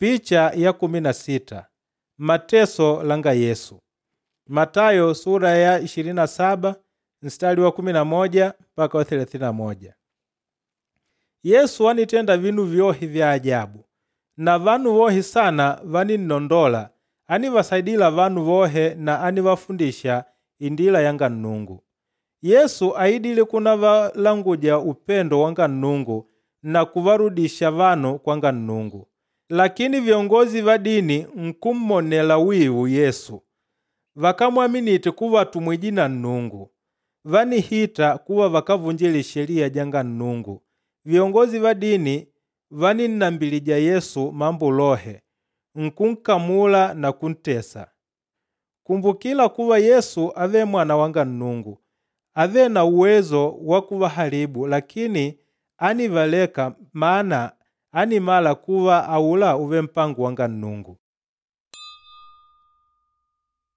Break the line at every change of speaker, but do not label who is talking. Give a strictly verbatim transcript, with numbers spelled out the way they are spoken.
Picha ya kumi na sita mateso langa Yesu. Matayo sura ya ishirini na saba mstari wa kumi na moja mpaka wa thelathini na moja. Yesu wanitenda vinu vyohe vya ajabu na vanu vohe sana vaninnondola anivasaidila vanu vohe na anivafundisha indila yanga Nnungu. Yesu aidile kuna valanguja upendo wanga Nnungu na kuvarudisha vanu kwanga Nnungu. Lakini viongozi va dini nkummonela wivu Yesu. Vakámwaminite kuva atumwije na Nnungu. Vanihita kuva vakávunjile sheliya janga Nnungu. Viongozi va dini váninnambilija Yesu mambo lohe, nkunkamula na kuntesa. Kumbukila kuva Yesu ávele mwana wanga Nnungu, ávele na uwezo wa kuvahalibu lakini ánivaleka mana ánimala kuva aula úvele mpango wanga Nnungu.